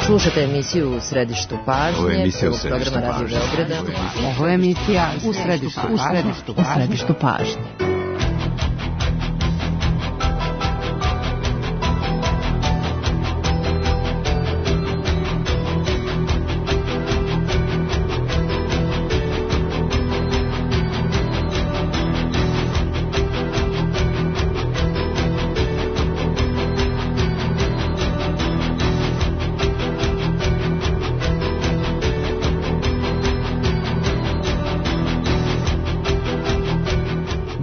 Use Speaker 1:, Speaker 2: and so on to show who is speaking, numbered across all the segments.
Speaker 1: Slušate emisiju U središtu pažnje, prvog programa Radio Beograda.
Speaker 2: Ovo je emisija U središtu pažnje.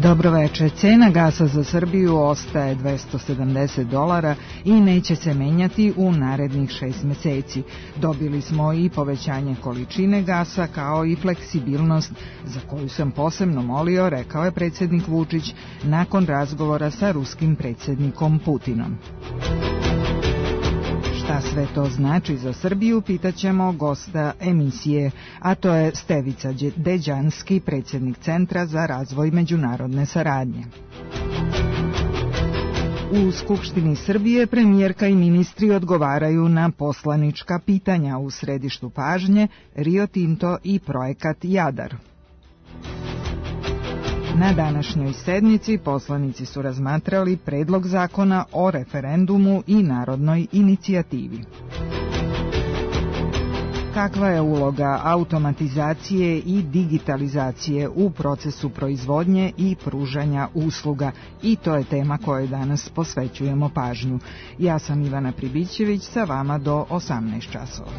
Speaker 2: Dobroveče, cena gasa za Srbiju ostaje $270 i neće se menjati u narednih 6 meseci. Dobili smo i povećanje količine gasa kao i fleksibilnost za koju sam posebno molio, rekao je predsjednik Vučić nakon razgovora sa ruskim predsjednikom Putinom. Šta sve to znači za Srbiju, pitaćemo gosta emisije, a to je Stevica Deđanski, predsjednik Centra za razvoj međunarodne saradnje. U Skupštini Srbije premijerka i ministri odgovaraju na poslanička pitanja. U središtu pažnje Rio Tinto i projekat Jadar. Na današnjoj sednici poslanici su razmatrali predlog zakona o referendumu i narodnoj inicijativi. Kakva je uloga automatizacije i digitalizacije u procesu proizvodnje i pružanja usluga? I to je tema kojoj danas posvećujemo pažnju. Ja sam Ivana Pribićević, sa vama do 18 časova.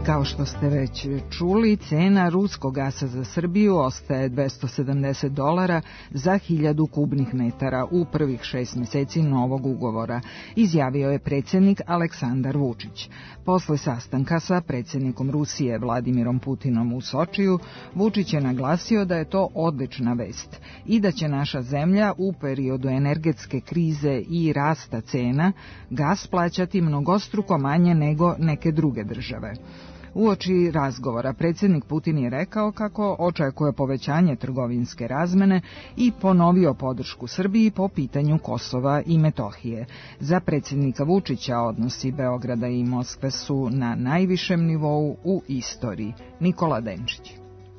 Speaker 2: Kao što ste već čuli, cena ruskog gasa za Srbiju ostaje $270 za 1000 kubnih metara u prvih 6 meseci novog ugovora, izjavio je predsjednik Aleksandar Vučić. Posle sastanka sa predsjednikom Rusije Vladimirom Putinom u Sočiju, Vučić je naglasio da je to odlična vest i da će naša zemlja u periodu energetske krize i rasta cena gas plaćati mnogostruko manje nego neke druge države. Uoči razgovora predsjednik Putin je rekao kako očekuje povećanje trgovinske razmene i ponovio podršku Srbiji po pitanju Kosova i Metohije. Za predsjednika Vučića odnosi Beograda i Moskve su na najvišem nivou u istoriji. Nikola Denčić.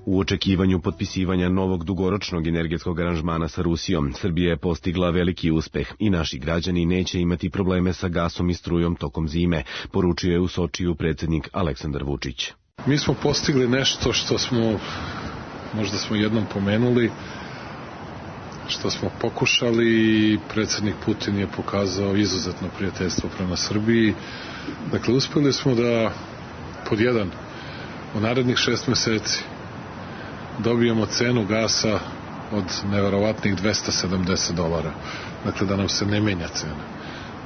Speaker 3: U očekivanju potpisivanja novog dugoročnog energetskog aranžmana sa Rusijom, Srbija je postigla veliki uspeh i naši građani neće imati probleme sa gasom i strujom tokom zime, poručio je u Sočiju predsjednik Aleksandar Vučić.
Speaker 4: Mi smo postigli nešto što smo, možda smo jednom pomenuli, što smo pokušali i predsjednik Putin je pokazao izuzetno prijateljstvo prema Srbiji. Dakle, uspjeli smo da, pod jedan, u narednih 6 meseci dobijemo cenu gasa od neverovatnih $270. Dakle, da nam se ne menja cena,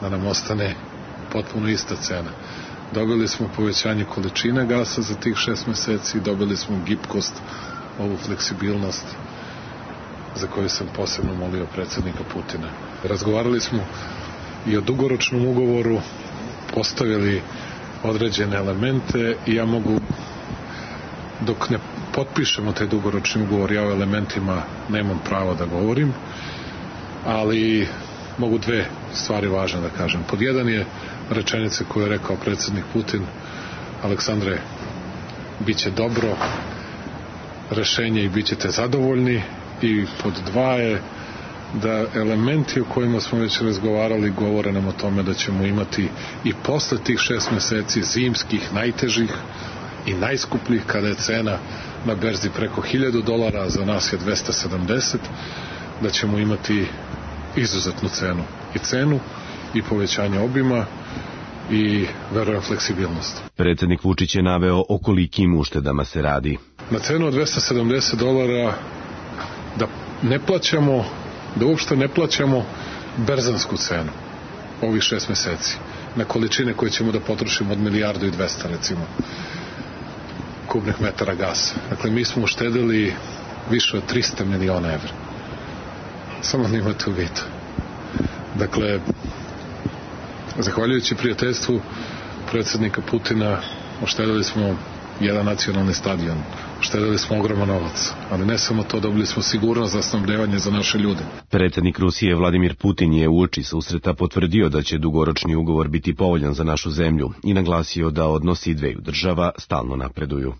Speaker 4: da nam ostane potpuno ista cena. Dobili smo povećanje količine gasa za tih 6 meseci, dobili smo gibkost, ovu fleksibilnost za koju sam posebno molio predsjednika Putina. Razgovarali smo i o dugoročnom ugovoru, postavili određene elemente i ja mogu, dok ne potpišemo taj dugoročni ugovor, ja o elementima nemam pravo da govorim, ali mogu 2 stvari važne da kažem. Pod jedan je rečenica koju je rekao predsjednik Putin: Aleksandre, bit će dobro rešenje i bit ćete zadovoljni. I pod 2 je da elementi o kojima smo već razgovarali govore nam o tome da ćemo imati i posle tih 6 meseci zimskih, najtežih i najskupljih, kada je cena na berzi preko $1000, a za nas je 270, da ćemo imati izuzetnu cenu. I cenu i povećanje obima i, verujem, fleksibilnost.
Speaker 3: Predsjednik Vučić je naveo o kolikim uštedama se radi.
Speaker 4: Na cenu od $270 da ne plaćamo, da uopšte ne plaćamo berzansku cenu ovih 6 meseci na količine koje ćemo da potrošimo od 1,2 milijarde recimo kubnih metara gasa. Dakle, mi smo uštedili više od 300 miliona evra. Samo da imate u vidu. Dakle, zahvaljujući prijateljstvu predsjednika Putina uštedili smo jedan nacionalni stadion, uštedili smo ogroman novac, ali ne samo to, dobili smo sigurnost za snabdevanje za naše ljude.
Speaker 3: Predsjednik Rusije Vladimir Putin je uoči susreta potvrdio da će dugoročni ugovor biti povoljan za našu zemlju i naglasio da odnosi dveju država stalno napreduju.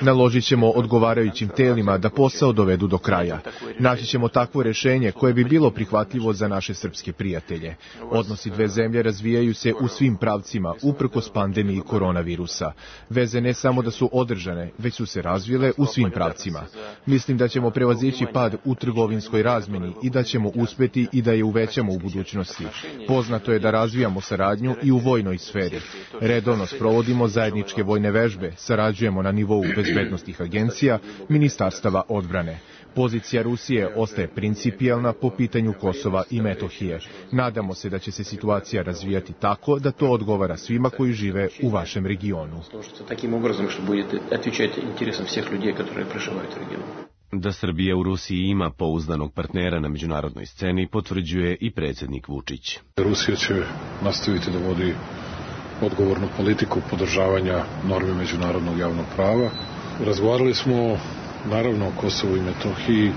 Speaker 5: Naložit ćemo odgovarajućim telima da posao dovedu do kraja. Naći ćemo takvo rješenje koje bi bilo prihvatljivo za naše srpske prijatelje. Odnosi dve zemlje razvijaju se u svim pravcima, uprkos pandemiji koronavirusa. Veze ne samo da su održane, već su se razvile u svim pravcima. Mislim da ćemo prevazići pad u trgovinskoj razmjeni i da ćemo uspjeti i da je uvećamo u budućnosti. Poznato je da razvijamo saradnju i u vojnoj sferi. Redovno sprovodimo zajedničke vojne vežbe, sarađujemo na nivou bezbednosnih agencija, ministarstava odbrane. Pozicija Rusije ostaje principijelna po pitanju Kosova i Metohije. Nadamo se da će se situacija razvijati tako da to odgovara svima koji žive u vašem regionu.
Speaker 3: Da Srbija u Rusiji ima pouzdanog partnera na međunarodnoj sceni potvrđuje i predsjednik Vučić.
Speaker 4: Rusija će nastaviti da vodi odgovornu politiku podržavanja normi međunarodnog javnog prava. Razgovarali smo naravno o Kosovu i Metohiji,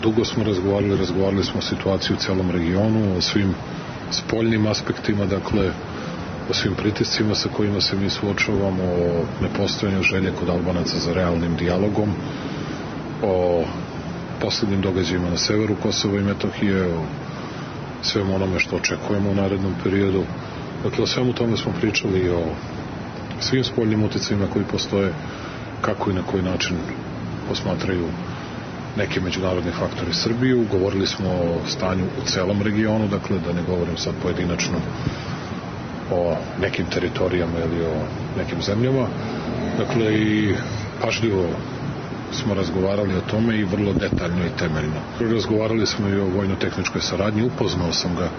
Speaker 4: dugo smo razgovarali smo o situaciji u celom regionu, o svim spoljnim aspektima, dakle o svim pritiscima sa kojima se mi suočavamo, o nepostojanju želje kod Albanaca za realnim dijalogom, o posljednjim događajima na severu Kosova i Metohije, o svemu onome što očekujemo u narednom periodu. Dakle, o svemu tome smo pričali i o svim spoljnim uticajima koji postoje, kako i na koji način posmatraju neki međunarodni faktori Srbiju. Govorili smo o stanju u celom regionu, dakle da ne govorim sad pojedinačno o nekim teritorijama ili o nekim zemljama. Dakle, i pažljivo smo razgovarali o tome i vrlo detaljno i temeljno. Razgovarali smo i o vojno-tehničkoj saradnji, upoznao sam ga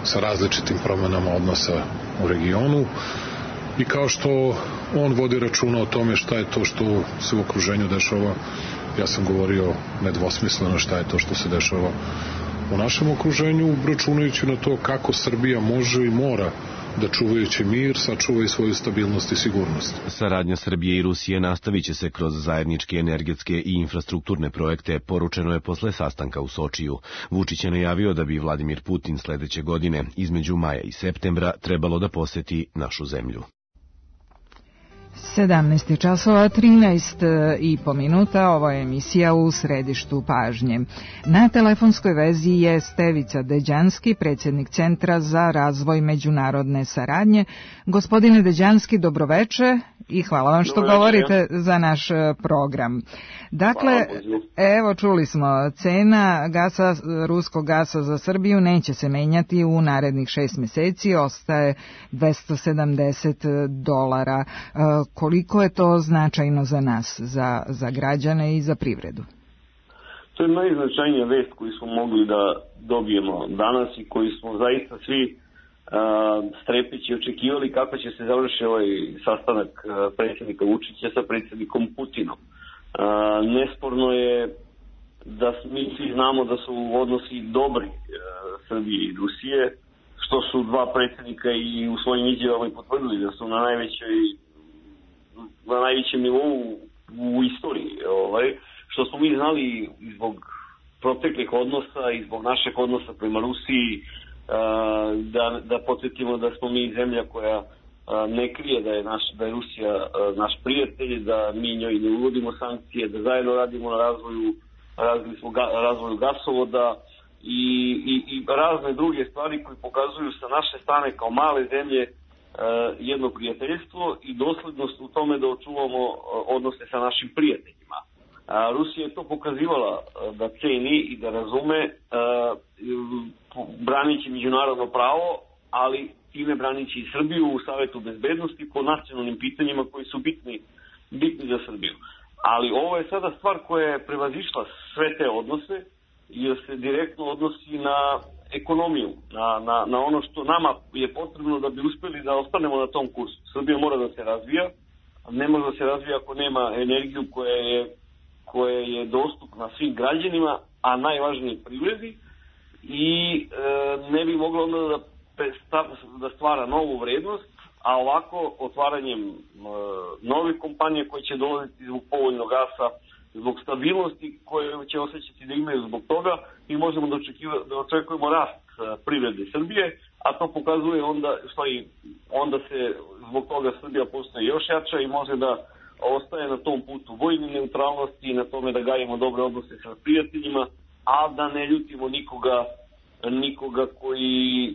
Speaker 4: sa različitim promenama odnosa u regionu i kao što on vodi računa o tome šta je to što se u okruženju dešava, ja sam govorio nedvosmisleno šta je to što se dešava u našem okruženju, računajući na to kako Srbija može i mora da čuvajući mir, sačuva i svoju stabilnost i sigurnost.
Speaker 3: Saradnja Srbije i Rusije nastavit će se kroz zajedničke energetske i infrastrukturne projekte, poručeno je posle sastanka u Sočiju. Vučić je najavio da bi Vladimir Putin sledeće godine, između maja i septembra, trebalo da poseti našu zemlju.
Speaker 2: 17 časova 13,5 minuta, ovo je emisija U središtu pažnje. Na telefonskoj vezi je Stevica Deđanski, predsjednik Centra za razvoj međunarodne saradnje. Gospodine Deđanski, dobroveče i hvala vam što govorite za naš program. Dakle, evo čuli smo, cena gasa, ruskog gasa za Srbiju neće se menjati u narednih 6 mjeseci, ostaje $270. Koliko je to značajno za nas, za građane i za privredu?
Speaker 6: To je najznačajnija vest koju smo mogli da dobijemo danas i koju smo zaista svi strepeći očekivali kako će se završiti ovaj sastanak predsjednika Vučića sa predsjednikom Putinom. Nesporno je da mi svi znamo da su odnosi dobri Srbije i Rusije, što su dva predsjednika i u svojim izjavama potvrdili da su na najvećem nivou u istoriji. Što smo mi znali zbog proteklih odnosa i zbog našeg odnosa prema Rusiji, da podsjetimo da smo mi zemlja koja ne krije da je Rusija naš prijatelj, da mi njoj ne uvodimo sankcije, da zajedno radimo na razvoju gasovoda i razne druge stvari koje pokazuju sa naše strane kao male zemlje jedno prijateljstvo i doslednost u tome da očuvamo odnose sa našim prijateljima. Rusija je to pokazivala da ceni i da razume, branići međunarodno pravo, ali time branići i Srbiju u Savetu bezbednosti po nacionalnim pitanjima koji su bitni za Srbiju. Ali ovo je sada stvar koja je prevazišla sve te odnose jer se direktno odnosi na ekonomiju, na ono što nama je potrebno da bi uspeli da ostanemo na tom kursu. Srbija mora da se razvija, ne može da se razvija ako nema energiju koja je dostupna svim građanima a najvažnije privredi, i ne bi moglo onda da stvara novu vrednost, a ovako otvaranjem novih kompanija koje će dolaziti zbog povoljnog gasa, zbog stabilnosti koje će osjećati da imaju zbog toga, mi možemo da očekujemo rast privrede Srbije, a to pokazuje onda se zbog toga Srbija postaje još jača i može da ostaje na tom putu vojne neutralnosti i na tome da gajimo dobre odnose sa prijateljima, a da ne ljutimo nikoga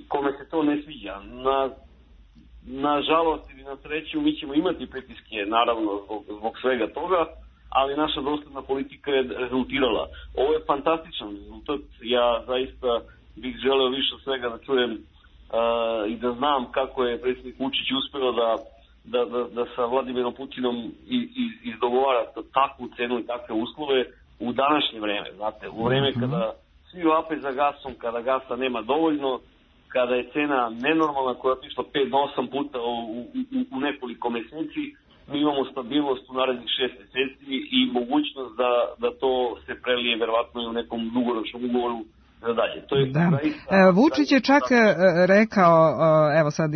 Speaker 6: kome se to ne sviđa. Na žalost ili na sreću mi ćemo imati pritiske, naravno, zbog svega toga, ali naša dosledna politika je rezultirala. Ovo je fantastičan rezultat. Ja zaista bih želeo više od svega da čujem i da znam kako je predsjednik Vučić uspeo da sa Vladimirom Putinom izdogovara takvu cenu i takve uslove u današnje vreme. Znate, u vreme kada svi vape za gasom, kada gasa nema dovoljno, kada je cena nenormalna koja je otišla 5 do 8 puta u nekoliko meseci, mi imamo stabilnost u narednih 6 meseci i mogućnost da to se prelije verovatno i u nekom dugoročnom ugovoru za dalje. To je
Speaker 2: Vučić je čak rekao, evo sad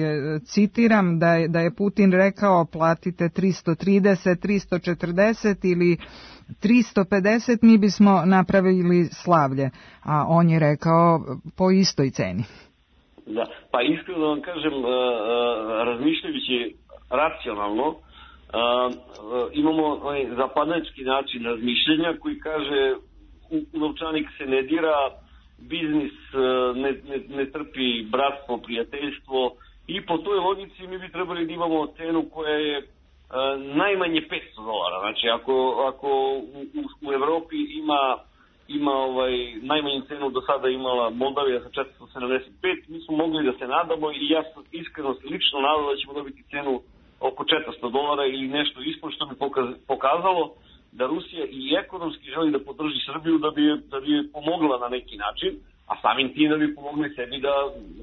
Speaker 2: citiram, da je Putin rekao platite 330, 340 ili 350, mi bismo napravili slavlje, a on je rekao po istoj ceni.
Speaker 6: Da, pa iskreno da vam kažem, razmišljajući racionalno, imamo zapadnjački način razmišljenja koji kaže u novčanik se ne dira, biznis ne trpi bratstvo, prijateljstvo, i po toj logici mi bi trebali da imamo cenu koja je najmanje $500. Znači ako u Evropi ima najmanju cenu do sada imala Moldavija sa 475, mi smo mogli da se nadamo, i ja sam iskreno lično nadao da ćemo dobiti cenu oko $400 ili nešto ispod, što bi pokazalo da Rusija i ekonomski želi da podrži Srbiju, da bi je pomogla na neki način, a samim tim da bi pomogli sebi da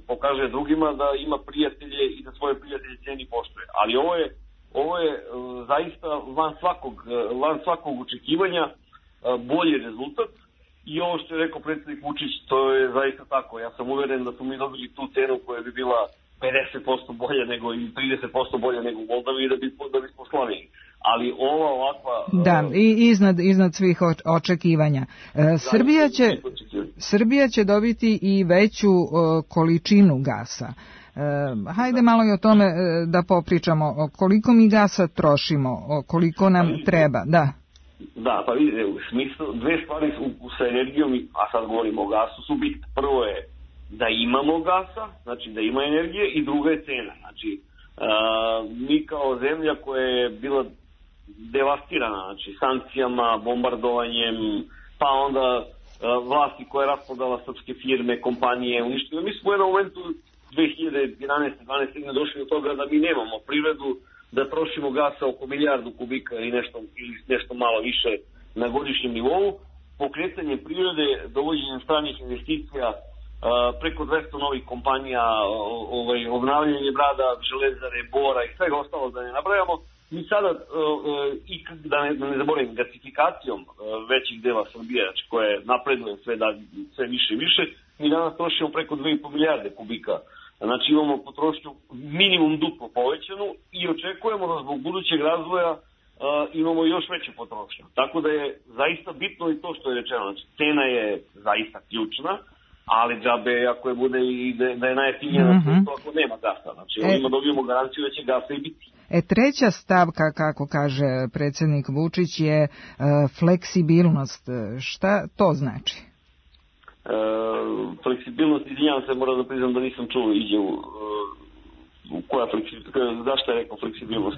Speaker 6: pokaže drugima da ima prijatelje i da svoje prijatelje ceni poštuje. Ali ovo je zaista van svakog očekivanja bolji rezultat, i ovo što je rekao predsjednik Vučić, to je zaista tako. Ja sam uveren da smo mi dobili tu cenu koja bi bila 50% bolja nego i 30% bolja nego u Moldaviji, da bismo slavili. Ali ova ovakva...
Speaker 2: Da, i iznad svih očekivanja. Srbija će dobiti i veću količinu gasa. Hajde malo i o tome da popričamo. Koliko mi gasa trošimo, koliko nam treba, da.
Speaker 6: Da, pa vidite, u smislu, dve stvari sa energijom, a sad govorimo o gasu, su bitne. Prvo je da imamo gasa, znači da ima energije, i druga je cena. Znači, mi kao zemlja koja je bila devastirana, znači sankcijama, bombardovanjem, pa onda vlasti koja je raspodala srpske firme, kompanije, uništila. Mi smo u jednom momentu 2011-2012 došli do toga da mi nemamo privredu, da trošimo gasa oko 1 milijardu kubika ili nešto malo više na godišnjem nivou. Pokretanje privrede, dovođenjem stranih investicija, preko 200 novih kompanija, obnavljanje brada, železare, bora i svega ostalo da ne nabrajamo. Mi sada, da ne zaboravim, gasifikacijom većih dela Srbije, znači koje napreduje sve više i više, mi danas trošimo preko 2,5 milijarde kubika. Znači imamo potrošnju minimum duplo povećanu i očekujemo da zbog budućeg razvoja imamo još veću potrošnju. Tako da je zaista bitno i to što je rečeno. Znači cena je zaista ključna, ali džabe ako je bude i da je najjeftinija na svijetu ako nema gasa. Znači ovima dobijemo garanciju da će gasa i biti.
Speaker 2: Treća stavka, kako kaže predsjednik Vučić, je fleksibilnost. Šta to znači?
Speaker 6: Fleksibilnost, izvinjavam se, moram da priznam da nisam čuo koja fleksibilnost, zašto je rekao fleksibilnost?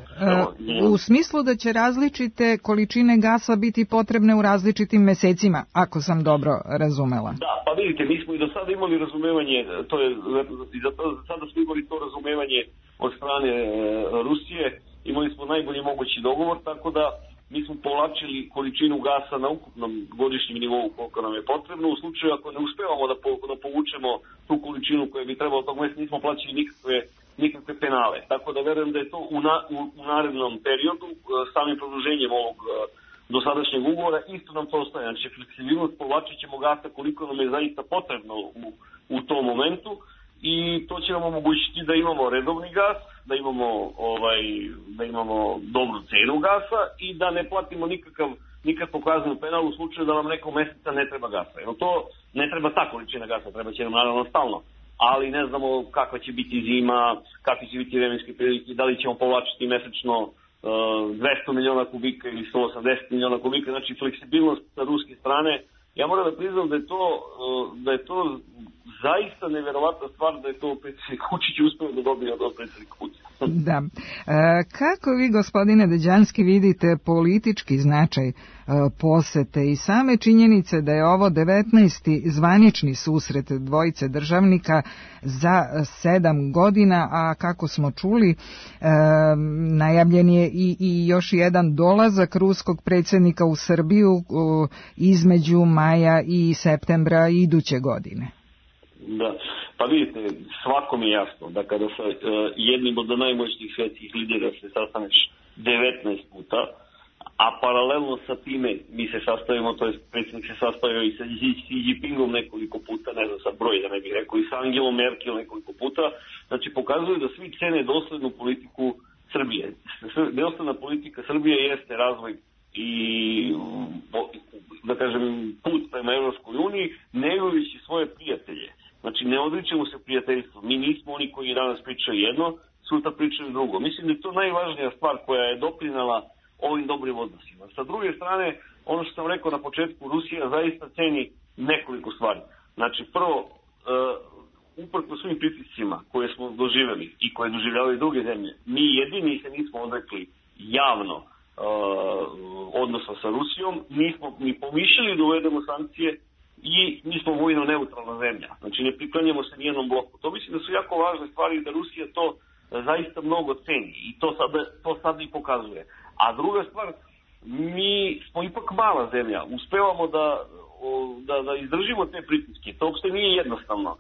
Speaker 2: U smislu da će različite količine gasa biti potrebne u različitim mesecima, ako sam dobro razumela.
Speaker 6: Da, pa vidite, mi smo i do sada imali razumevanje, sada smo imali to razumevanje od strane Rusije, imali smo najbolji mogući dogovor, tako da mi smo povlačili količinu gasa na ukupnom godišnjem nivou koliko nam je potrebno. U slučaju ako ne uspevamo da povučemo tu količinu koju bi trebalo tog mesta, nismo plaćali nikakve penale. Tako da verujem da je to u narednom periodu, samim produženjem dosadašnjeg ugovora, isto nam to ostaje. Znači, fleksibilnost, povlačit ćemo gasa koliko nam je zaista potrebno u tom momentu i to će nam omogućiti da imamo redovni gas, da imamo dobru cenu gasa i da ne platimo nikakvu kaznu penal u slučaju da nam nekog meseca ne treba gasa. Jer to ne treba ta količina gasa, treba će nam naravno stalno. Ali ne znamo kakva će biti zima, kakvi će biti vremenske prilike, da li ćemo povlačiti mesečno 200 miliona kubika ili 180 miliona kubika, znači fleksibilnost sa ruske strane. Ja moram da priznam da je to zaista neverovatna stvar da je to predsjednik Vučić uspeo da dobije od predsjednika Putina.
Speaker 2: Da. Kako vi, gospodine Deđanski, vidite politički značaj posete i same činjenice da je ovo 19. zvanični susret dvojice državnika za 7 godina, a kako smo čuli, najavljen je i još jedan dolazak ruskog predsjednika u Srbiju između maja i septembra iduće godine.
Speaker 6: Da, pa vidite, svakom je jasno da kada sa jednim od najmoćnijih svjetskih lidera se sastaneš 19 puta, a paralelno sa time mi se sastavimo, to je predsjednik se sastavio i sa Xi Jinpingom nekoliko puta, ne znam sa broj da ne bih rekao, i sa Angelom Merkel nekoliko puta, znači pokazuje da svi cene doslednu politiku Srbije. Dosledna politika Srbije jeste razvoj i, da kažem, put prema Evropskoj uniji, negujući svoje prijatelje. Znači, ne odričemo se prijateljstvo. Mi nismo oni koji danas pričaju jedno, sutra pričaju drugo. Mislim da je to najvažnija stvar koja je doprinala ovim dobrim odnosima. Sa druge strane, ono što sam rekao na početku, Rusija zaista ceni nekoliko stvari. Znači, prvo, uprko svim pritiscima koje smo doživjeli i koje doživljavaju druge zemlje, mi jedini se nismo odrekli javno odnosa sa Rusijom, nismo ni pomišljali da uvedemo sankcije i mi smo vojno neutralna zemlja. Znači ne priklanjamo se nijednom bloku. To mislim da su jako važne stvari da Rusija to zaista mnogo ceni i to sada i pokazuje. A druga stvar, mi smo ipak mala zemlja. Uspevamo da izdržimo te pritiske. To uopšte nije jednostavno.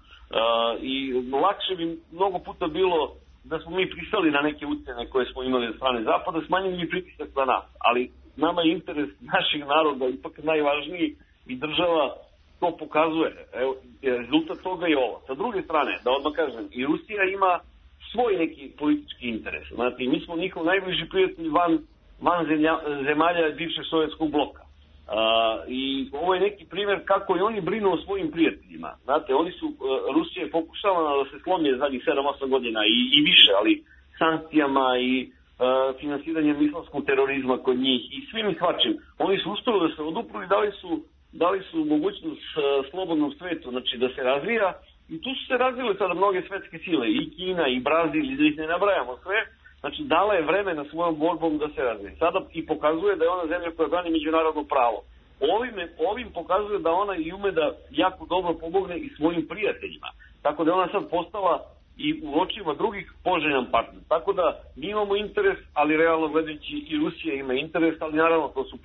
Speaker 6: I lakše bi mnogo puta bilo da smo mi pristali na neke ucjene koje smo imali od strane Zapada, smanjili bi pritisak na nas. Ali nama je interes naših naroda ipak najvažniji i država to pokazuje. Evo, rezultat toga je ovo. Sa druge strane, da odmah kažem, i Rusija ima svoj neki politički interes. Znate, mi smo njihov najbliži prijatelj van zemalja bivšeg sovjetskog bloka. I ovo je neki primjer kako i oni brinu o svojim prijateljima. Znate, Rusija je pokušala da se slomi zadnjih 7-8 godina i više, ali sankcijama i finansiranjem islamskog terorizma kod njih i svim i svačim. Oni su uspjeli da se odupru i dali su mogućnost slobodnom svetu, znači da se razvija i tu su se razvile sada mnoge svetske sile, i Kina, i Brazil, i da ih ne nabrajamo sve, znači dala je vremena svojom borbom da se razvije. Sada i pokazuje da je ona zemlja koja brani međunarodno pravo. Ovim pokazuje da ona i ume da jako dobro pomogne i svojim prijateljima. Tako da je ona sad postala i u očima drugih poželjan partner. Tako da mi imamo interes, ali realno gledajući i Rusija ima interes, ali naravno to su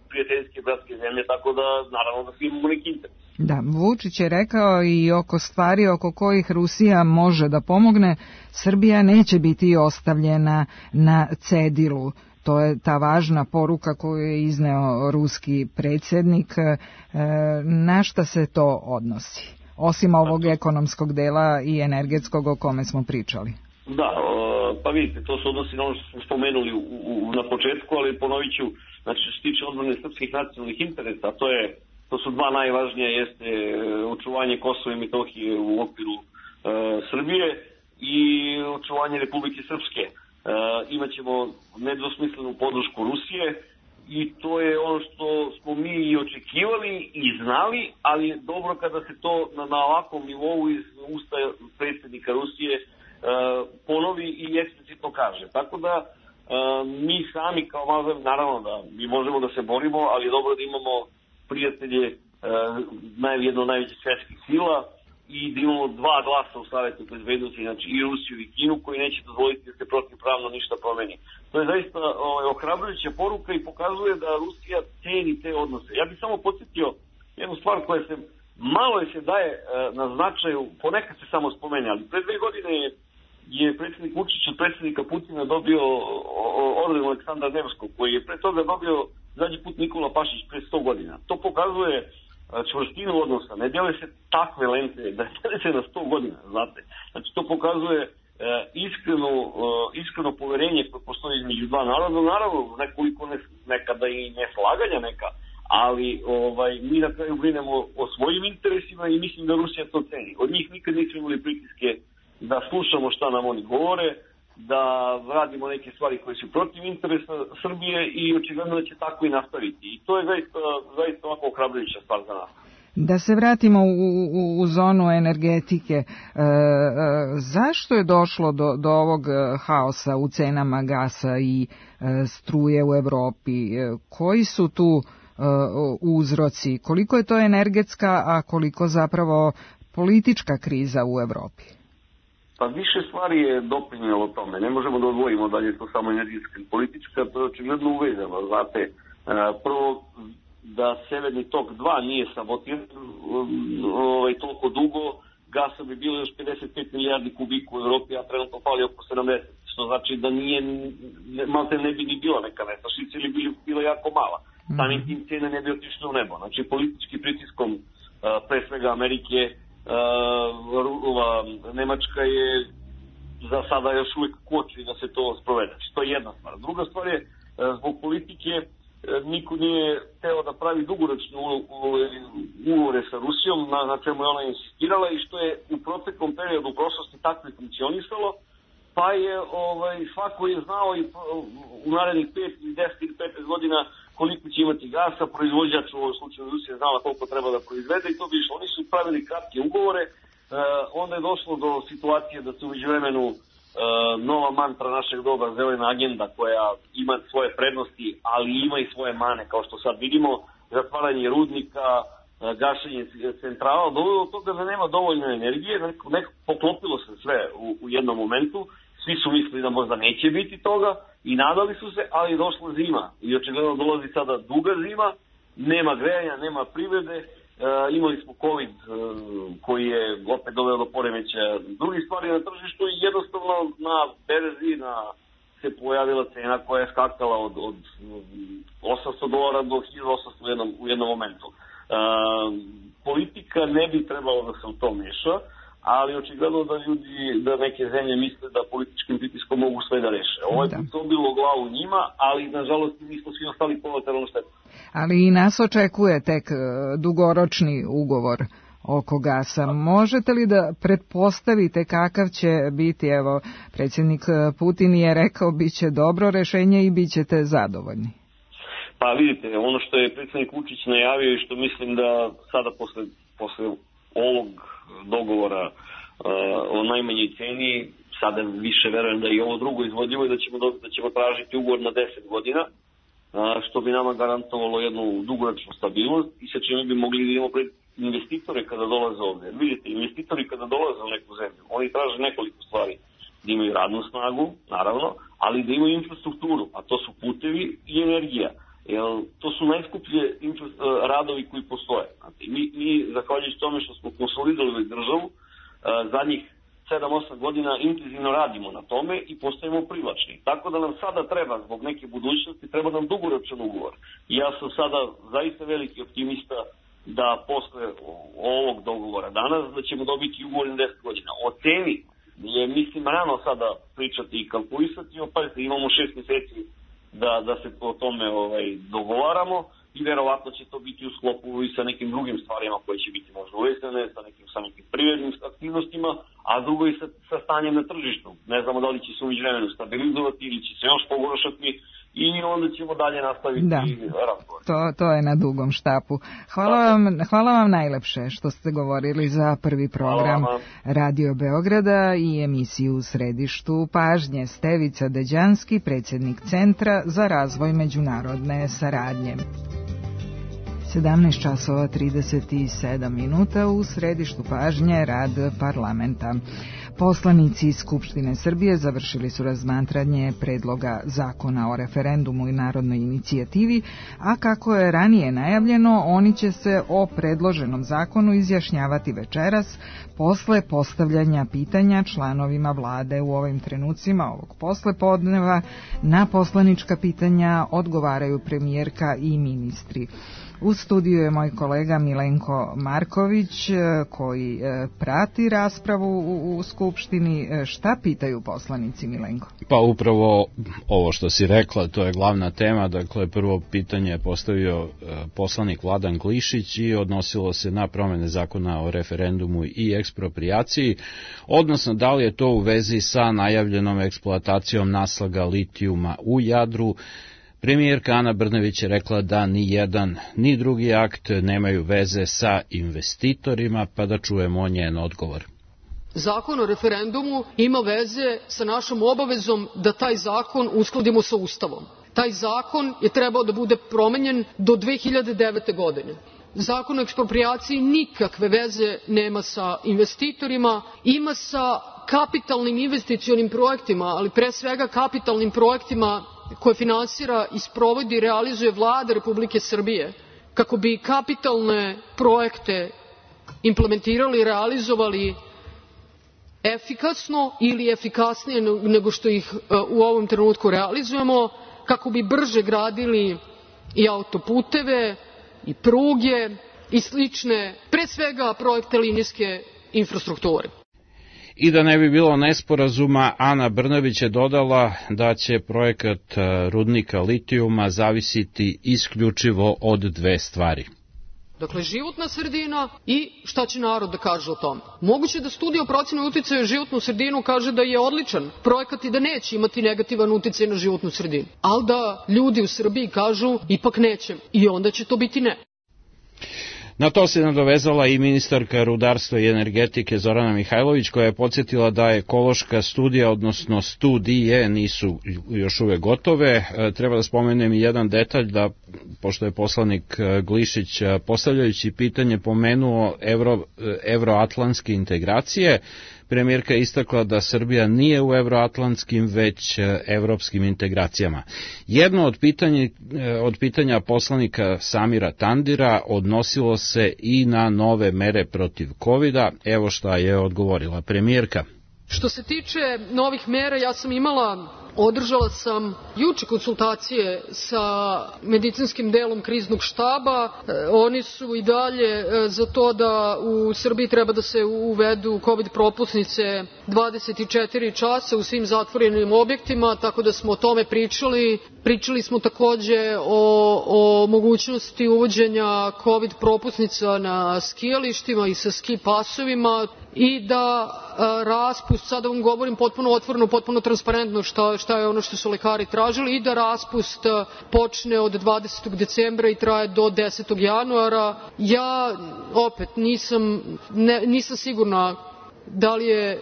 Speaker 6: prijateljske bratske zemlje, tako da naravno da svi imamo neki interes.
Speaker 2: Da, Vučić je rekao i oko stvari oko kojih Rusija može da pomogne, Srbija neće biti ostavljena na cedilu. To je ta važna poruka koju je izneo ruski predsjednik. Na šta se to odnosi? Osim ovog ekonomskog dela i energetskog o kome smo pričali.
Speaker 6: Da, pa vidite, to se odnosi na ono što smo spomenuli na početku, ali ponovit ću, znači što se tiče odbrane srpskih nacionalnih interesa, to su dva najvažnija, jeste očuvanje Kosova i Metohije u okviru Srbije i očuvanje Republike Srpske. Imaćemo nedvosmislenu podršku Rusije i to je ono što smo mi i očekivali i znali, ali je dobro kada se to na ovakvom nivou iz usta predsjednika Rusije ponovi i eksplicitno kaže. Tako da mi sami kao malo, naravno da mi možemo da se borimo, ali je dobro da imamo prijatelje jedno od najvećih svjetskih sila i da imamo dva glasa u Savetu bezbednosti, znači i Rusiju i Kinu, koji neće dozvoliti da se protivpravno ništa promeni. To je zaista ohrabrujuća poruka i pokazuje da Rusija ceni te odnose. Ja bih samo podsjetio jednu stvar koja se malo se daje na značaju, ponekad se samo spomene, ali pre 2 godine je predsjednik Vučić od predsjednika Putina dobio orden Aleksandra Nevskog, koji je pre toga dobio zadnji put Nikola Pašić pre 100 godina. To pokazuje čvrstinu odnosa. Ne dele se takve lente, da dele se na 100 godina, znate. Znači, to pokazuje iskreno poverenje koje postoji između dva naroda, naravno nekoliko nekada i neslaganja neka, ali mi na kraju brinemo o svojim interesima i mislim da Rusija to ceni. Od njih nikad nismo imali pritiske da slušamo šta nam oni govore, da radimo neke stvari koje su protiv interesa Srbije i očigledno da će tako i nastaviti. I to je zaista ovako ohrabrujuća stvar za nas.
Speaker 2: Da se vratimo u zonu energetike, zašto je došlo do ovog haosa u cenama gasa i struje u Evropi? Koji su tu uzroci? Koliko je to energetska, a koliko zapravo politička kriza u Evropi?
Speaker 6: Pa više stvari je doprinjelo tome. Ne možemo da odvojimo da je to samo energetska i politička, to je očigledno uvezano. Znate, prvo da Severni tok 2 nije sabotiran toliko dugo, gasa bi bilo još 55 milijardi kubika u Evropi, a trenutno pali oko 70, što znači da malte ne bi ni bila neka nestašica ili bi bila jako mala. Samim tim cene ne bi otišle u nebo. Znači, politički pritiskom pre svega Amerike, Nemačka je za sada još uvijek koči da se to sprovede. To je jedna stvar. Druga stvar je, zbog politike niko nije hteo da pravi dugoročne ugovore sa Rusijom, na čemu je ona insistirala i što je u proteklom periodu u prošlosti tako i funkcionisalo, pa je svako je znao i u narednih 5 ili 10 ili 15 godina koliko će imati gasa, proizvođač u ovom slučaju Rusija znala koliko treba da proizvede i to bi išlo. Oni su pravili kratke ugovore, onda je došlo do situacije da se u međuvremenu nova mantra našeg doba, zelena agenda, koja ima svoje prednosti, ali ima i svoje mane, kao što sad vidimo, zatvaranje rudnika, gašenje centrala, dovelo do toga da nema dovoljno energije, poklopilo se sve u jednom momentu, svi su mislili da možda neće biti toga i nadali su se, ali je došla zima i očigledno dolazi sada duga zima, nema grejanja, nema privrede, imali smo COVID koji je opet doveo do poremećaja drugih stvari na tržištu i jednostavno na berzi se pojavila cena koja je skakala od $800 do $1.800 u jednom momentu. Politika ne bi trebalo da se u to meša, ali očigledno da neke zemlje misle da političkim pritiskom mogu sve da reše. Ovo je to bilo glavu njima, ali nažalost mi smo svi ostali kolateralno štetu.
Speaker 2: Ali i nas očekuje tek dugoročni ugovor oko gasa. Možete li da pretpostavite kakav će biti, evo, predsjednik Putin je rekao bit će dobro rešenje i bit ćete zadovoljni?
Speaker 6: Pa vidite, ono što je predsjednik Vučić najavio i što mislim da sada posle ovog dogovora o najmanjoj ceni, sada više verujem da i ovo drugo izvodljivo i da ćemo tražiti ugovor na 10 godina, što bi nama garantovalo jednu dugoročnu stabilnost i sa čime bi mogli da imamo pred investitore kada dolaze ovdje. Vidite, investitori kada dolaze u neku zemlju, oni traže nekoliko stvari. Da imaju radnu snagu, naravno, ali da imaju infrastrukturu, a to su putevi i energija. Jer to su najskuplje radovi koji postoje. Znači, mi zahvaljujući tome što smo konsolidovali državu, zadnjih 7-8 godina intenzivno radimo na tome i postajemo privlačni. Tako da nam sada treba, zbog neke budućnosti, treba nam dugoročan ugovor. I ja sam sada zaista veliki optimista da posle ovog dogovora danas da ćemo dobiti ugovor na 10 godina. O ceni je, mislim, rano sada pričati i kalkulisati. Opazite, imamo 6 mjeseci da se o tome dogovaramo i verovatno će to biti u sklopu i sa nekim drugim stvarima koje će biti možda uvezane, sa nekim privrednim aktivnostima, a drugo i sa stanjem na tržištu. Ne znamo da li će se u međuvremenu stabilizovati ili će se još pogoršati i onda ćemo dalje nastaviti razgovor.
Speaker 2: To je na dugom štapu. Hvala vam najlepše što ste govorili za prvi program Radio Beograda i emisiju U središtu pažnje. Stevica Deđanski, predsjednik Centra za razvoj međunarodne saradnje. 17:37 u središtu pažnje rad parlamenta. Poslanici iz Skupštine Srbije završili su razmatranje predloga zakona o referendumu i narodnoj inicijativi, a kako je ranije najavljeno, oni će se o predloženom zakonu izjašnjavati večeras posle postavljanja pitanja članovima vlade. U ovim trenucima ovog poslepodneva na poslanička pitanja odgovaraju premijerka i ministri. U studiju je moj kolega Milenko Marković koji prati raspravu u Skupštini. Šta pitaju poslanici, Milenko?
Speaker 7: Pa upravo ovo što si rekla, to je glavna tema. Dakle, prvo pitanje je postavio poslanik Vladan Glišić i odnosilo se na promene zakona o referendumu i eksproprijaciji, odnosno da li je to u vezi sa najavljenom eksploatacijom naslaga litijuma u Jadru. Premijerka Ana Brnabić je rekla da ni jedan ni drugi akt nemaju veze sa investitorima, pa da čujemo njen odgovor.
Speaker 8: Zakon o referendumu ima veze sa našom obavezom da taj zakon uskladimo sa Ustavom. Taj zakon je trebao da bude promenjen do 2009. godine. Zakon o eksproprijaciji nikakve veze nema sa investitorima, ima sa kapitalnim investicionim projektima, ali pre svega kapitalnim projektima koje finansira i sprovodi i realizuje Vlada Republike Srbije, kako bi kapitalne projekte implementirali i realizovali efikasno ili efikasnije nego što ih u ovom trenutku realizujemo, kako bi brže gradili i autoputeve i pruge i slične, pre svega projekte linijske infrastrukture.
Speaker 7: I da ne bi bilo nesporazuma, Ana Brnabić je dodala da će projekat rudnika litijuma zavisiti isključivo od dve stvari.
Speaker 8: Dakle, životna sredina i šta će narod da kaže o tome. Moguće da studija o proceni uticaja životnu sredinu kaže da je odličan projekat i da neće imati negativan uticaj na životnu sredinu. Ali da ljudi u Srbiji kažu ipak neće i onda će to biti ne.
Speaker 7: Na to se nadovezala i ministarka rudarstva i energetike Zorana Mihajlović, koja je podsjetila da ekološka studija, odnosno studije, nisu još uvek gotove. Treba da spomenem i jedan detalj, da pošto je poslanik Glišić postavljajući pitanje pomenuo evroatlantske integracije, premijerka je istakla da Srbija nije u evroatlantskim već evropskim integracijama. Jedno od pitanja poslanika Samira Tandira odnosilo se i na nove mere protiv COVID-a. Evo šta je odgovorila premijerka.
Speaker 8: Što se tiče novih mera, održala sam juče konsultacije sa medicinskim delom kriznog štaba. Oni su i dalje za to da u Srbiji treba da se uvedu COVID propusnice 24 časa u svim zatvorenim objektima, tako da smo o tome pričali. Pričali smo takođe o mogućnosti uvođenja COVID propusnica na skijalištima i sa ski pasovima i da raspust, sada vam govorim potpuno otvoreno, potpuno transparentno šta je ono što su lekari tražili, i da raspust počne od 20. decembra i traje do 10. januara. Ja opet nisam sigurna da li je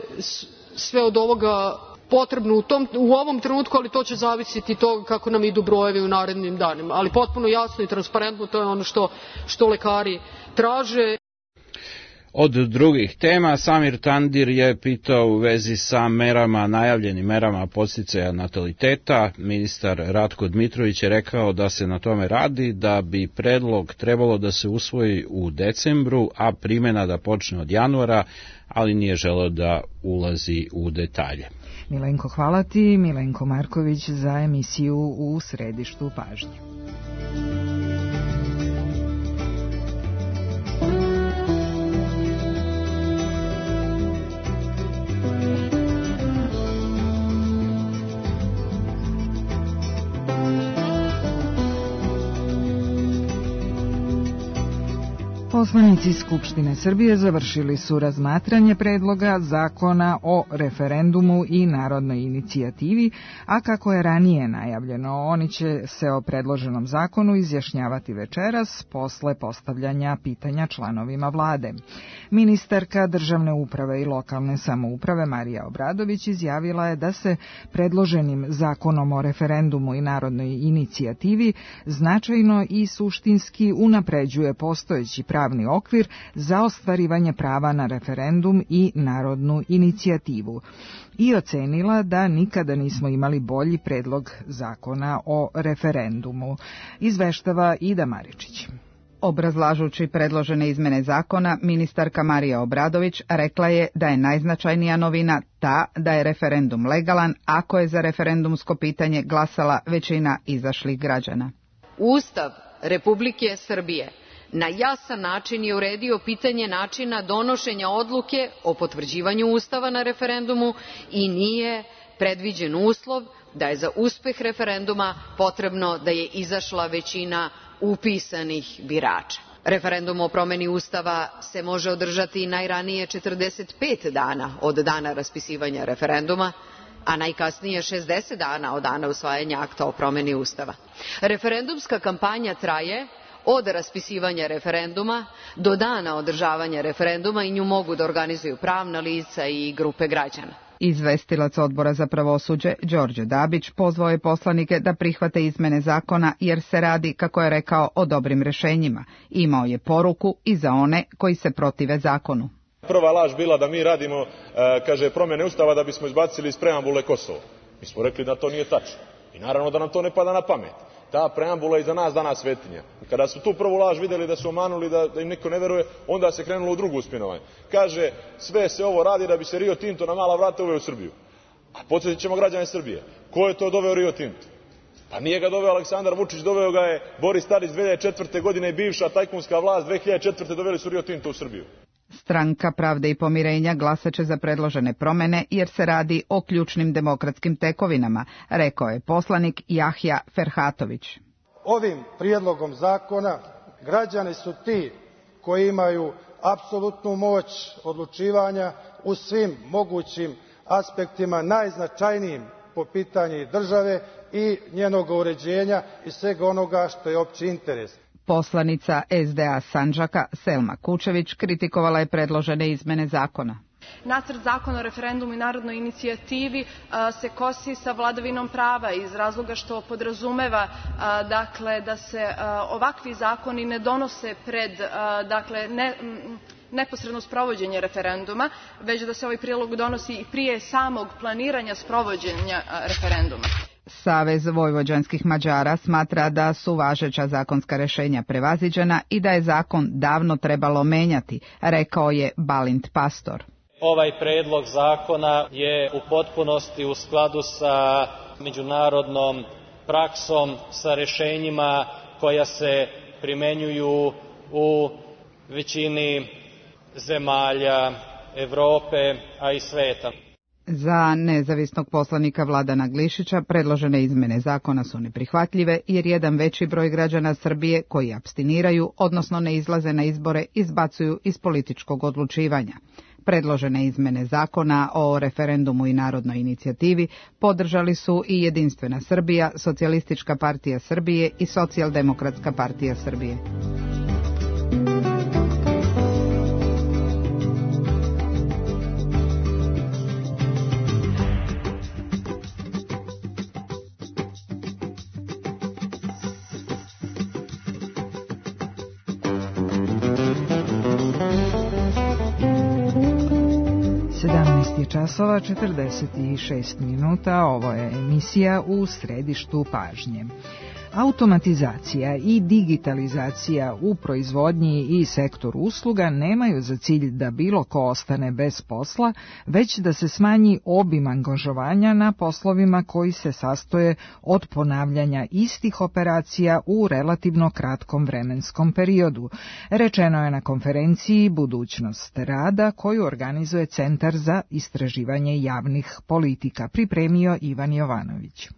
Speaker 8: sve od ovoga potrebno u ovom trenutku, ali to će zavisiti toga kako nam idu brojevi u narednim danima. Ali potpuno jasno i transparentno, to je ono što lekari traže.
Speaker 7: Od drugih tema, Samir Tandir je pitao u vezi sa najavljenim merama podsticaja nataliteta. Ministar Ratko Dmitrović je rekao da se na tome radi, da bi predlog trebalo da se usvoji u decembru, a primena da počne od januara, ali nije želeo da ulazi u detalje.
Speaker 2: Milenko, hvala ti. Milenko Marković za emisiju U središtu pažnje. Poslanici Skupštine Srbije završili su razmatranje predloga zakona o referendumu i narodnoj inicijativi, a kako je ranije najavljeno, oni će se o predloženom zakonu izjašnjavati večeras posle postavljanja pitanja članovima vlade. Ministarka državne uprave i lokalne samouprave Marija Obradović izjavila je da se predloženim zakonom o referendumu i narodnoj inicijativi značajno i suštinski unapređuje postojeći pravni pravni okvir za ostvarivanje prava na referendum i narodnu inicijativu i ocenila da nikada nismo imali bolji predlog zakona o referendumu. Izveštava Ida Maričić.
Speaker 9: Obrazlažući predložene izmene zakona, ministarka Marija Obradović rekla je da je najznačajnija novina ta da je referendum legalan ako je za referendumsko pitanje glasala većina izašlih građana.
Speaker 10: Ustav Republike Srbije na jasan način je uredio pitanje načina donošenja odluke o potvrđivanju Ustava na referendumu i nije predviđen uslov da je za uspeh referenduma potrebno da je izašla većina upisanih birača. Referendum o promeni Ustava se može održati najranije 45 dana od dana raspisivanja referenduma, a najkasnije 60 dana od dana usvajanja akta o promeni Ustava. Referendumska kampanja traje od raspisivanja referenduma do dana održavanja referenduma i nju mogu da organizuju pravna lica i grupe građana.
Speaker 9: Izvestilac Odbora za pravosuđe Đorđe Dabić pozvao je poslanike da prihvate izmene zakona jer se radi, kako je rekao, o dobrim rešenjima. Imao je poruku i za one koji se protive zakonu.
Speaker 11: Prva laž bila da mi radimo, promjene Ustava da bismo izbacili iz preambule Kosovo. Mi smo rekli da to nije tačno. I naravno da nam to ne pada na pamet. Ta preambula je za nas danas svetinja. Kada su tu prvu laž vidjeli da su omanuli, da im niko ne veruje, onda se krenulo u drugu spinovanje. Kaže, sve se ovo radi da bi se Rio Tinto na mala vrata uveo u Srbiju. A podsjetit ćemo građane Srbije. Ko je to doveo Rio Tinto? Pa nije ga doveo Aleksandar Vučić, doveo ga je Boris Tadić 2004. godine i bivša tajkunska vlast 2004. doveli su Rio Tinto u Srbiju.
Speaker 9: Stranka Pravde i pomirenja glasaće za predložene promene jer se radi o ključnim demokratskim tekovinama, rekao je poslanik Jahja Ferhatović.
Speaker 12: Ovim prijedlogom zakona građani su ti koji imaju apsolutnu moć odlučivanja u svim mogućim aspektima najznačajnijim po pitanju države i njenog uređenja i svega onoga što je opći interes.
Speaker 9: Poslanica SDA Sandžaka Selma Kučević kritikovala je predložene izmene zakona.
Speaker 13: Nacrt zakona o referendumu i narodnoj inicijativi se kosi sa vladavinom prava iz razloga što podrazumeva da se ovakvi zakoni ne donose pred neposredno sprovođenje referenduma, već da se ovaj prijedlog donosi i prije samog planiranja sprovođenja referenduma.
Speaker 9: Savez vojvođanskih Mađara smatra da su važeća zakonska rešenja prevaziđena i da je zakon davno trebalo menjati, rekao je Balint Pastor.
Speaker 14: Ovaj predlog zakona je u potpunosti u skladu sa međunarodnom praksom, sa rešenjima koja se primenjuju u većini zemalja Evrope, a i sveta.
Speaker 9: Za nezavisnog poslanika Vladana Glišića predložene izmene zakona su neprihvatljive jer jedan veći broj građana Srbije koji apstiniraju, odnosno ne izlaze na izbore, izbacuju iz političkog odlučivanja. Predložene izmene zakona o referendumu i narodnoj inicijativi podržali su i Jedinstvena Srbija, Socijalistička partija Srbije i Socijaldemokratska partija Srbije.
Speaker 2: Časova 46 minuta, ovo je emisija U središtu pažnje. Automatizacija i digitalizacija u proizvodnji i sektoru usluga nemaju za cilj da bilo ko ostane bez posla, već da se smanji obim angažovanja na poslovima koji se sastoje od ponavljanja istih operacija u relativno kratkom vremenskom periodu. Rečeno je na konferenciji Budućnost rada koju organizuje Centar za istraživanje javnih politika, pripremio Ivan Jovanović.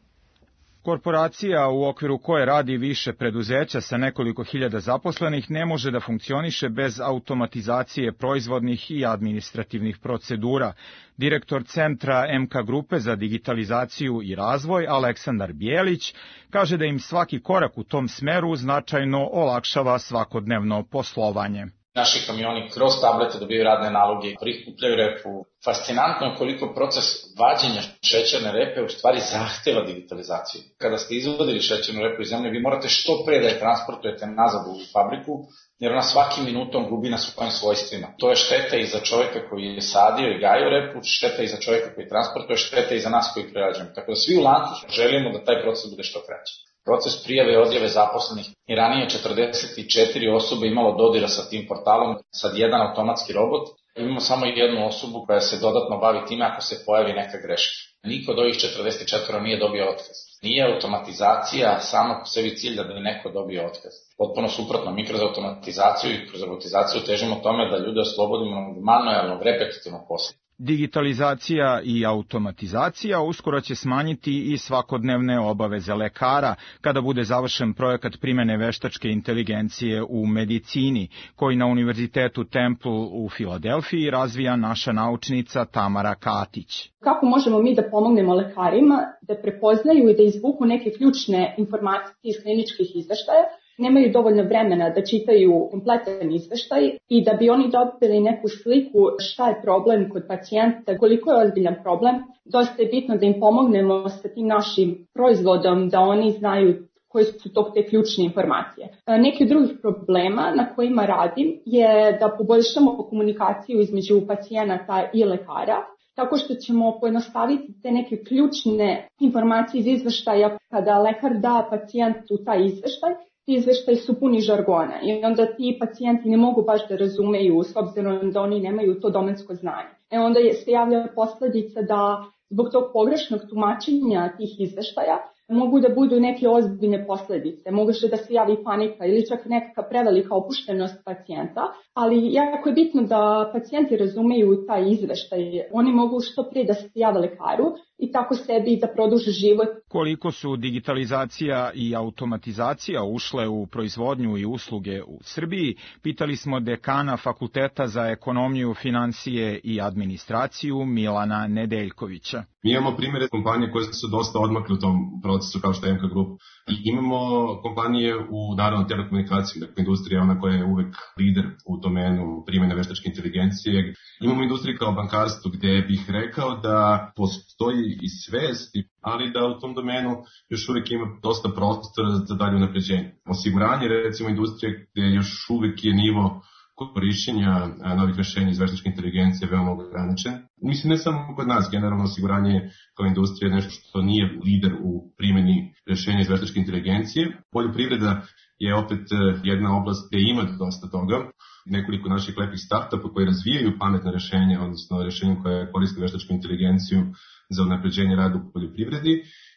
Speaker 15: Korporacija u okviru koje radi više preduzeća sa nekoliko hiljada zaposlenih ne može da funkcioniše bez automatizacije proizvodnih i administrativnih procedura. Direktor Centra MK Grupe za digitalizaciju i razvoj Aleksandar Bijelić kaže da im svaki korak u tom smeru značajno olakšava svakodnevno poslovanje.
Speaker 16: Naši kamioni kroz tablete dobiju radne naloge, prikupljaju repu. Fascinantno je koliko proces vađenja šećerne repe u stvari zahteva digitalizaciju. Kada ste izvodili šećernu repu iz zemlje, vi morate što pre da je transportujete nazad u fabriku, jer ona svakim minutom gubi na svojim svojstvima. To je šteta i za čovjeka koji je sadio i gajio repu, šteta i za čovjeka koji transportuje, šteta i za nas koji prerađujemo. Tako da svi u lancu želimo da taj proces bude što kraći. Proces prijave i odjave zaposlenih i ranije 44 osobe imalo dodira sa tim portalom, sad jedan automatski robot. Imamo samo jednu osobu koja se dodatno bavi time ako se pojavi neka greška. Niko od ovih 44 nije dobio otkaz. Nije automatizacija sama po sebi cilj da bi neko dobio otkaz. Potpuno suprotno, mi kroz automatizaciju i kroz robotizaciju težimo tome da ljude oslobodimo manuelnog, repetitivnog posla.
Speaker 15: Digitalizacija i automatizacija uskoro će smanjiti i svakodnevne obaveze lekara kada bude završen projekat primene veštačke inteligencije u medicini, koji na Univerzitetu Temple u Filadelfiji razvija naša naučnica Tamara Katić.
Speaker 17: Kako možemo mi da pomognemo lekarima da prepoznaju i da izvuku neke ključne informacije iz kliničkih izveštaja? Nemaju dovoljno vremena da čitaju kompletan izveštaj i da bi oni dobili neku sliku šta je problem kod pacijenta, koliko je ozbiljan problem. Dosta je bitno da im pomognemo sa tim našim proizvodom, da oni znaju koje su te ključne informacije. Neki od drugih problema na kojima radim je da poboljšamo komunikaciju između pacijenata i lekara, tako što ćemo pojednostaviti te neke ključne informacije iz izveštaja. Kada lekar da pacijentu taj izveštaj, ti izveštaji su puni žargona i onda ti pacijenti ne mogu baš da razumeju s obzirom da oni nemaju to domensko znanje. Onda se javlja posledica da zbog tog pogrešnog tumačenja tih izveštaja mogu da budu neke ozbiljne posledice. Može da se javi panika ili čak neka prevelika opuštenost pacijenta, ali jako je bitno da pacijenti razumeju taj izveštaj. Oni mogu što prije da se jave lekaru i tako sebi da produže život.
Speaker 15: Koliko su digitalizacija i automatizacija ušle u proizvodnju i usluge u Srbiji, pitali smo dekana Fakulteta za ekonomiju, finansije i administraciju Milana Nedeljkovića.
Speaker 18: Mi imamo primjere kompanije koje su dosta odmakle u tom procesu kao što je MK Group. I imamo kompanije u naravno telekomunikaciji, dakle industrija je ona koja je uvek lider u domenu primjene veštačke inteligencije. Imamo industriju kao bankarstvo gdje bih rekao da postoji i svest, ali da u tom domenu još uvijek ima dosta prostora za dalje unapređenje. Osiguranje, recimo industrije gdje još uvijek je nivo korišćenja novih rešenja iz veštačke inteligencije veoma ograničen. Mislim, ne samo kod nas, generalno osiguranje kao industrija je nešto što nije lider u primjeni rešenja iz veštačke inteligencije. Poljoprivreda je opet jedna oblast gdje ima dosta toga. Nekoliko naših lepih startupa koji razvijaju pametne rešenja, odnosno rešenja koje koriste veštačku inteligenciju za unapređenje rada u poljoprivredi.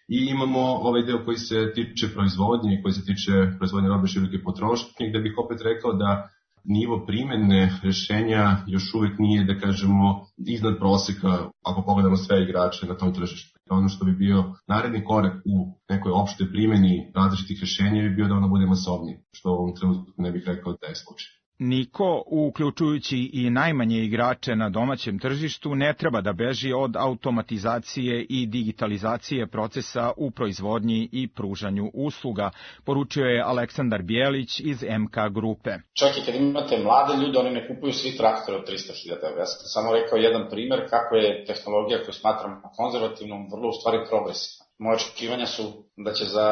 Speaker 18: I imamo ovaj deo koji se tiče proizvodnje, koji se tiče proizvodnje robe široke potrošnje, gde bih opet rekao da nivo primjene rešenja još uvijek nije, da kažemo, iznad proseka ako pogledamo sve igrače na tom tržištu. Ono što bi bio naredni korak u nekoj opštoj primjeni različitih rešenja bi bio da ono bude masovnije, što u ovom trenutku ne bih rekao da je slučaj.
Speaker 15: Niko, uključujući i najmanje igrače na domaćem tržištu, ne treba da beži od automatizacije i digitalizacije procesa u proizvodnji i pružanju usluga, poručio je Aleksandar Bijelić iz MK grupe.
Speaker 16: Čak i kad imate mlade ljude, oni ne kupuju svi traktore od 300.000 €. Ja sam samo rekao jedan primjer kako je tehnologija koju smatramo konzervativnom vrlo u stvari progresivna. Moje očekivanja su da će za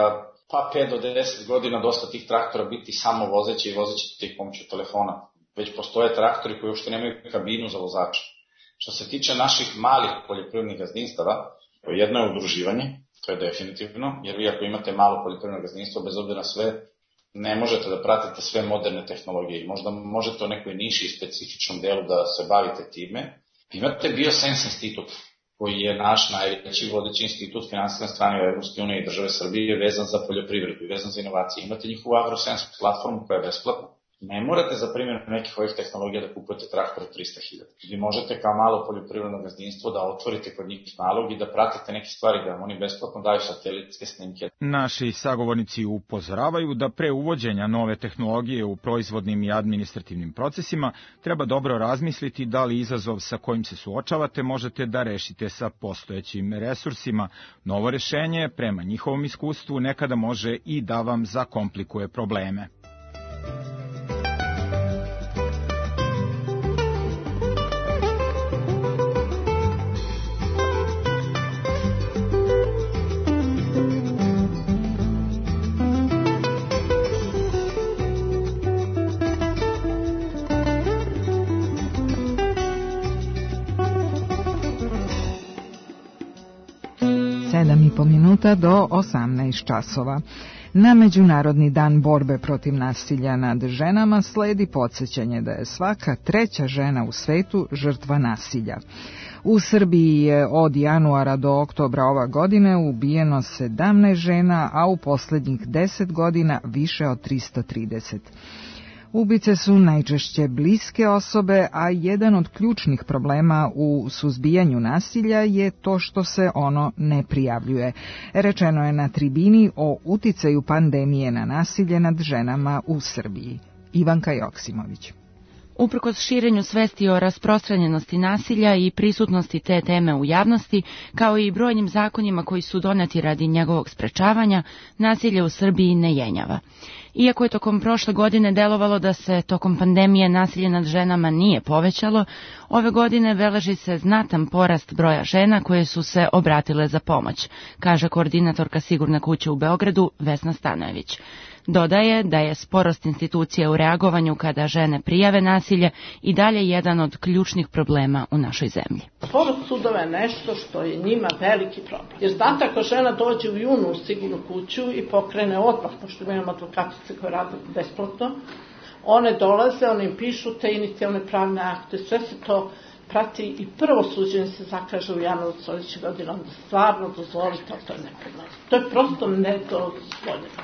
Speaker 16: 5 do 10 godina dosta tih traktora biti samo vozeći i vozeći ih pomoću telefona. Već postoje traktori koji uopšte nemaju kabinu za vozača. Što se tiče naših malih poljoprivrednih gazdinstava, jedno je udruživanje, to je definitivno, jer vi ako imate malo poljoprivredno gazdinstvo, bez obzira na sve, ne možete da pratite sve moderne tehnologije. Možda možete u nekoj niši i specifičnom delu da se bavite time. Imate Biosense institut, koji je naš najveći vodeći institut finansijske strane u Evropske unije i države Srbije vezan za poljoprivredu i vezan za inovacije. Imate njihovu AgroSense platformu koja je besplatna. Ne morate za primjer nekih ovih tehnologija da kupujete traktor od 300.000. Vi možete kao malo poljoprivredno gazdinstvo da otvorite kod njih nalog i da pratite neke stvari, da vam oni besplatno daju satelitske snimke.
Speaker 15: Naši sagovornici upozoravaju da pre uvođenja nove tehnologije u proizvodnim i administrativnim procesima treba dobro razmisliti da li izazov sa kojim se suočavate možete da rešite sa postojećim resursima. Novo rešenje, prema njihovom iskustvu, nekada može i da vam zakomplikuje probleme.
Speaker 2: 7,5 minuta do 18 časova. Na Međunarodni dan borbe protiv nasilja nad ženama sledi podsjećanje da je svaka treća žena u svetu žrtva nasilja. U Srbiji je od januara do oktobra ove godine ubijeno 17 žena, a u posljednjih 10 godina više od 330. Ubice su najčešće bliske osobe, a jedan od ključnih problema u suzbijanju nasilja je to što se ono ne prijavljuje. Rečeno je na tribini o uticaju pandemije na nasilje nad ženama u Srbiji. Ivanka Joksimović.
Speaker 19: Uprkos širenju svesti o rasprostranjenosti nasilja i prisutnosti te teme u javnosti, kao i brojnim zakonima koji su doneti radi njegovog sprečavanja, nasilje u Srbiji ne jenjava. Iako je tokom prošle godine delovalo da se tokom pandemije nasilje nad ženama nije povećalo, ove godine beleži se znatan porast broja žena koje su se obratile za pomoć, kaže koordinatorka Sigurne kuće u Beogradu Vesna Stanojević. Dodaje da je sporost institucije u reagovanju kada žene prijave nasilje i dalje jedan od ključnih problema u našoj zemlji.
Speaker 20: Sporost sudova je nešto što je njima veliki problem. Jer znate, ako žena dođe u junu u Sigurnu kuću i pokrene odmah, pošto imamo advokatice koje rade besplatno, one dolaze, one im pišu te inicijalne pravne akte, sve se to prati i prvo suđenje se zakaže u januaru sljedeće godine, onda stvarno dozvolite, ali to je nepremjerno. To je prosto nedozvoljeno.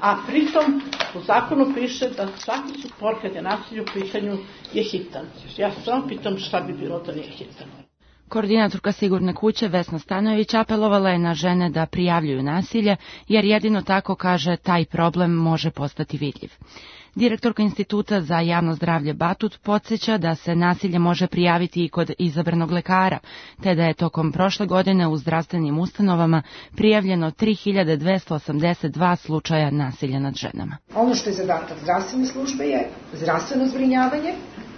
Speaker 20: A pritom u zakonu piše da svaki spor kad je nasilje u pitanju je hitan. Ja se samo pitam šta bi bilo da nije hitan.
Speaker 19: Koordinatorka Sigurne kuće Vesna Stanojević apelovala je na žene da prijavljuju nasilje, jer jedino tako, kaže, taj problem može postati vidljiv. Direktorka Instituta za javno zdravlje Batut podsjeća da se nasilje može prijaviti i kod izabranog lekara, te da je tokom prošle godine u zdravstvenim ustanovama prijavljeno 3282 slučaja nasilja nad ženama.
Speaker 21: Ono što je zadatak zdravstvene službe je zdravstveno zbrinjavanje.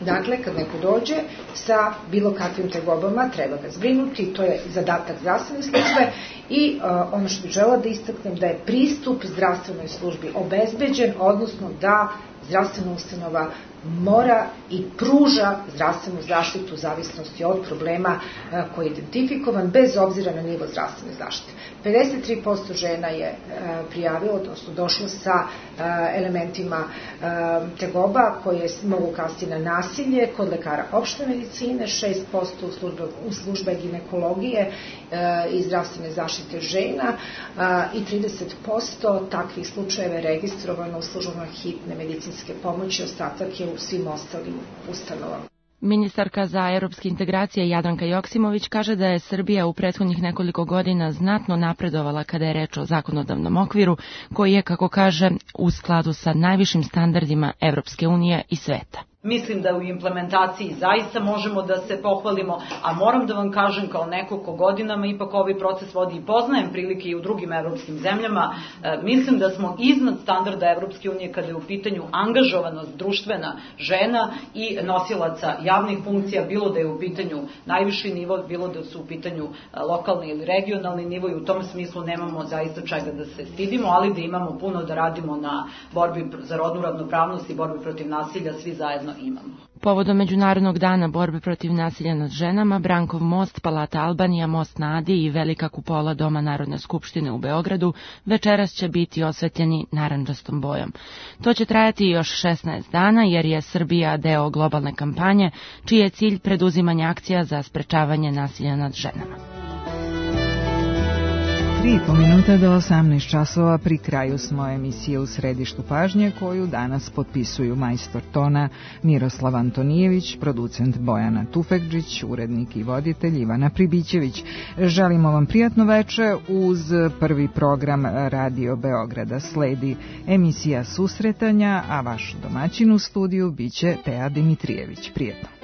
Speaker 21: Dakle, kad neko dođe sa bilo kakvim tegobama, treba ga zbrinuti, to je zadatak zdravstvene službe i ono što bih želela da istaknem da je pristup zdravstvenoj službi obezbeđen, odnosno da zdravstvena ustanova mora i pruža zdravstvenu zaštitu u zavisnosti od problema koji je identifikovan, bez obzira na nivo zdravstvene zaštite. 53% žena je prijavilo, odnosno došlo sa elementima tegoba koje mogu kasti na nasilje kod lekara opšte medicine, 6% u službe ginekologije i zdravstvene zaštite žena i 30% takvih slučajeva je registrovano u službama hitne medicinske pomoći, ostatak je u svim ostalim ustanovama.
Speaker 19: Ministarka za europske integracije Jadranka Joksimović kaže da je Srbija u prethodnih nekoliko godina znatno napredovala kada je reč o zakonodavnom okviru, koji je, kako kaže, u skladu sa najvišim standardima Evropske unije i sveta.
Speaker 22: Mislim da u implementaciji zaista možemo da se pohvalimo, a moram da vam kažem kao neko ko godinama ipak ovaj proces vodi i poznajem prilike i u drugim evropskim zemljama, mislim da smo iznad standarda Evropske unije kada je u pitanju angažovanost društvena žena i nosilaca javnih funkcija, bilo da je u pitanju najviši nivo, bilo da su u pitanju lokalni ili regionalni nivo, i u tom smislu nemamo zaista čega da se stidimo, ali da imamo puno da radimo na borbi za rodnu ravnopravnost i borbi protiv nasilja, svi zajedno imamo.
Speaker 19: Povodom Međunarodnog dana borbe protiv nasilja nad ženama, Brankov most, Palata Albanija, most na Adi i velika kupola Doma Narodne skupštine u Beogradu večeras će biti osvetljeni narandžastom bojom. To će trajati još 16 dana jer je Srbija deo globalne kampanje, čiji je cilj preduzimanje akcija za sprečavanje nasilja nad ženama.
Speaker 2: 3,5 minuta do 18 časova, pri kraju smo emisije U središtu pažnje, koju danas potpisuju majstor tona Miroslav Antonijević, producent Bojana Tufekđić, urednik i voditelj Ivana Pribićević. Želimo vam prijatno veče uz prvi program Radio Beograda. Sledi emisija Susretanja, a vaš domaćin u studiju biće Teja Dimitrijević. Prijetno.